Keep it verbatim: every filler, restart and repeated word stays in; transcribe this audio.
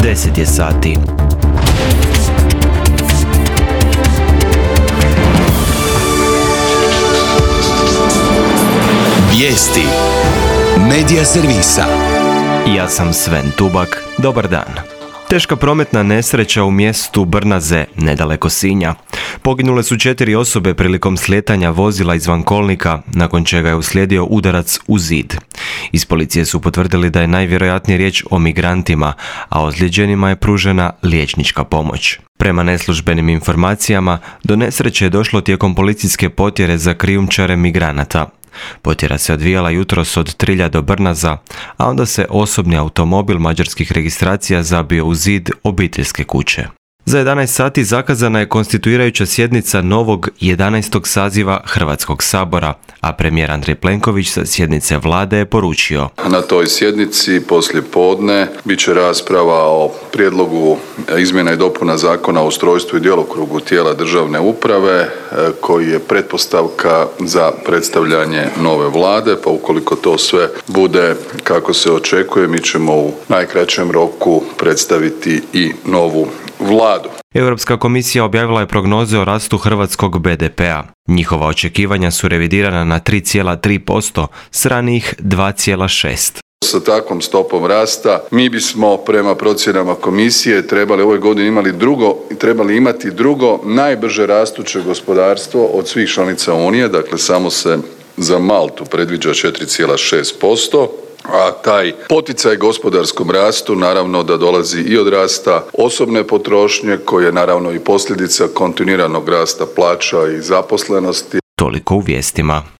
deset je sati. Vijesti Medija servisa. Ja sam Sven Tubak. Dobar dan. Teška prometna nesreća u mjestu Brnaze, nedaleko Sinja. Poginule su četiri osobe prilikom slijetanja vozila izvan kolnika, nakon čega je uslijedio udarac u zid. Iz policije su potvrdili da je najvjerojatnije riječ o migrantima, a ozlijeđenima je pružena liječnička pomoć. Prema neslužbenim informacijama, do nesreće je došlo tijekom policijske potjere za krijumčare migranata. Potjera se odvijala jutros od Trilja do Brnaza, a onda se osobni automobil mađarskih registracija zabio u zid obiteljske kuće. Za jedanaest sati zakazana je konstituirajuća sjednica novog jedanaestog saziva Hrvatskog sabora, a premijer Andrej Plenković sa sjednice vlade je poručio: Na toj sjednici poslije podne bit će rasprava o prijedlogu izmjena i dopuna Zakona o ustrojstvu i djelokrugu tijela državne uprave, koji je pretpostavka za predstavljanje nove vlade, pa ukoliko to sve bude kako se očekuje, mi ćemo u najkraćem roku predstaviti i novu vladu. Europska komisija objavila je prognoze o rastu hrvatskog be de pea. Njihova očekivanja su revidirana na tri zarez tri posto s ranijih dva zarez šest. Sa takvom stopom rasta mi bismo prema procjenama komisije trebali ove godine imali drugo, trebali imati drugo najbrže rastuće gospodarstvo od svih članica Unije, dakle samo se za Maltu predviđa četiri zarez šest posto. A taj poticaj gospodarskom rastu naravno da dolazi i od rasta osobne potrošnje, koja je naravno i posljedica kontinuiranog rasta plaća i zaposlenosti. Toliko u vijestima.